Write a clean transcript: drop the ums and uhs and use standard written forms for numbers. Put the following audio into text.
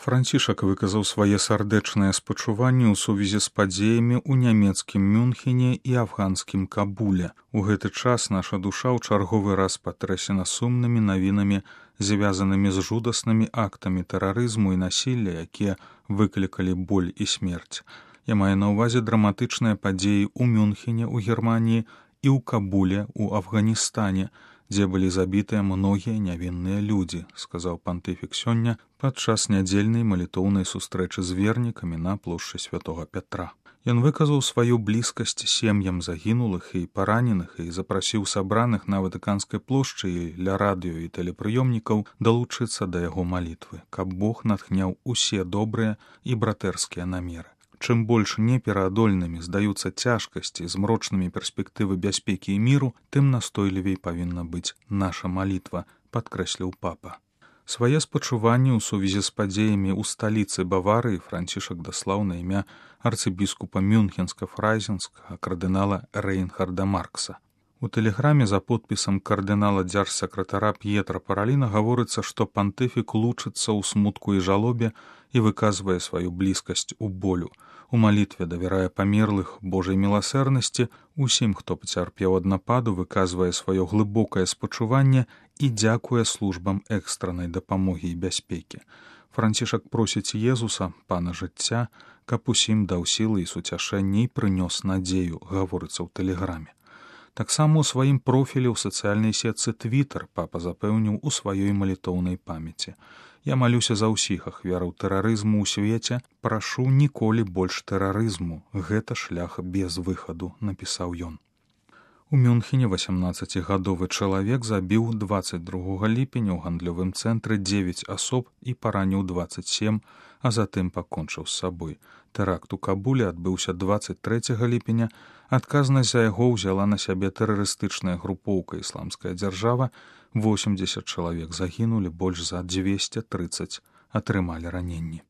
Францішак выказаў свае сардэчныя спачуванні ў сувязі з падзеямі ў нямецкім Мюнхене і афганскім Кабуле. У гэты час наша душа ў чарговы раз патрэсена сумнымі навінамі, звязанымі з жудаснымі актамі тэрарызму і насілля, якія выклікалі боль і смерць. Я маю на ўвазе драматычныя падзеі ў Мюнхене ў Германіі і ў Кабуле ў Афганістане, дзе былі забітыя многія нявінныя людзі, сказаў пантыфік сёння падчас нядзельнай малітоўнай сустрэчы з вернікамі на плошчы Святога Пятра. Ён выказаў сваю блізкасць сем'ям загінулых і параненых і запрасіў сабраных на Ватыканскай плошчы і ля радыё і тэлепрыёмнікаў далучыцца да яго малітвы, каб Бог натхняў усе добрыя і братэрскія намеры. Чым больш непераадольнымі здаюцца цяжкасці з мрочнымі перспектывы бяспекі і міру, тым настойлівей павінна быць наша малітва, падкрэсліў папа. Свае спачуванні ў сувязі з падзеямі ў сталіцы Баварыі Францішак даслаў на імя арцыбіскупа Мюнхенска-Фрайзенскага кардынала Рейнхарда Маркса. У тэлеграме за подпісам кардынала дзяржсакратара П'етра Параліна гаворыцца, што пантыфік лучыцца ў смутку і жалобе і выказвае сваю блізкасць у болю. У малітве давярае памерлых Божай міласэрнасці, усім, хто пацярпеў ад нападу, выказвае сваё глыбокае спачуванне і дзякуе службам экстраннай дапамогі і бяспекі. Францішак просіць Езуса, пана жыцця, каб усім даў сілы і суцяшэнне і прынёс надзею, гаворыцца ў тэлеграме. Таксама ў сваім профілі ў сацыяльнай сетцы Твітер папа запэўніў у сваёй малітоўнай памяці. Я малюся за ўсіх ахвяраў тэрарызму ў свеце, прашу ніколі больш тэрарызму, гэта шлях без выхаду, напісаў ён. У Мюнхене 18-гадовы чалавек забіў 22 ліпеня ў гандлёвым цэнтры 9 асоб і параніў 27, а затым пакончыў з сабой. Тэракт у Кабуле адбыўся 23 ліпеня, адказнасць за яго ўзяла на сябе тэрарыстычная групоўка «Ісламская дзяржава», 80 чалавек загінулі, больш за 230 атрымалі раненні.